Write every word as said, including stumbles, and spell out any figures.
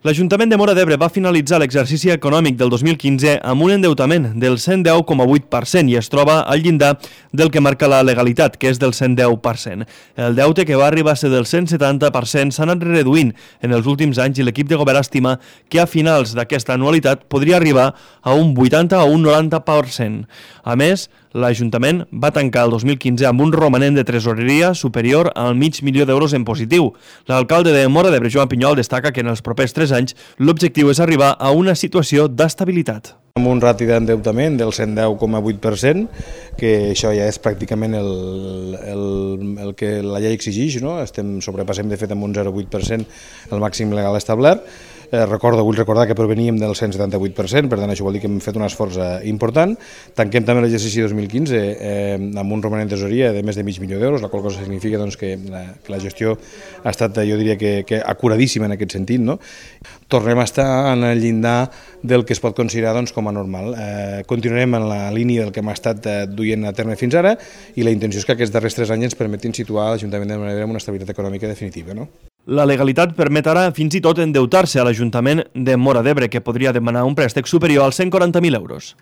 L'Ajuntament de Móra d'Ebre va finalitzar l'exercici econòmic del dos mil quinze amb un endeutament del cent deu coma vuit per cent i es troba al llindar del que marca la legalitat, que és del cent deu per cent. El deute, que va arribar a ser del cent setanta per cent, s'ha anat reduint en els últims anys i l'equip de govern estima que a finals d'aquesta anualitat podria arribar a un vuitanta o un noranta per cent. A més, l'Ajuntament va tancar el dos mil quinze amb un romanent de tresoreria superior al mig milió d'euros en positiu. L'alcalde de Móra d'Ebre, Joan Pinyol, destaca que en els propers tres anys l'objectiu és arribar a una situació d'estabilitat. Amb un rati d'endeutament del cent deu coma vuit per cent, que això ja és pràcticament el, el, el que la llei exigeix, no? Estem sobrepassem de fet amb un zero coma vuit per cent el màxim legal establert. Eh, recordo, vull recordar que proveníem del cent setanta vuit per cent, per tant això vol dir que hem fet un esforç eh, important. Tanquem també l'exercici dos mil quinze eh, amb un romanent de tesoreria de més de mig milió d'euros, la qual cosa significa doncs, que, la, que la gestió ha estat, jo diria, que, que acuradíssima en aquest sentit, no? Tornem a estar en el llindar del que es pot considerar doncs, com a normal. Eh, continuarem en la línia del que hem estat eh, duient a terme fins ara i la intenció és que aquests darrers tres anys ens permetin situar l'Ajuntament de Móra d'Ebre en una estabilitat econòmica definitiva, no? La legalitat permet ara fins i tot endeutar-se a l'Ajuntament de Móra d'Ebre, que podria demanar un préstec superior als cent quaranta mil euros.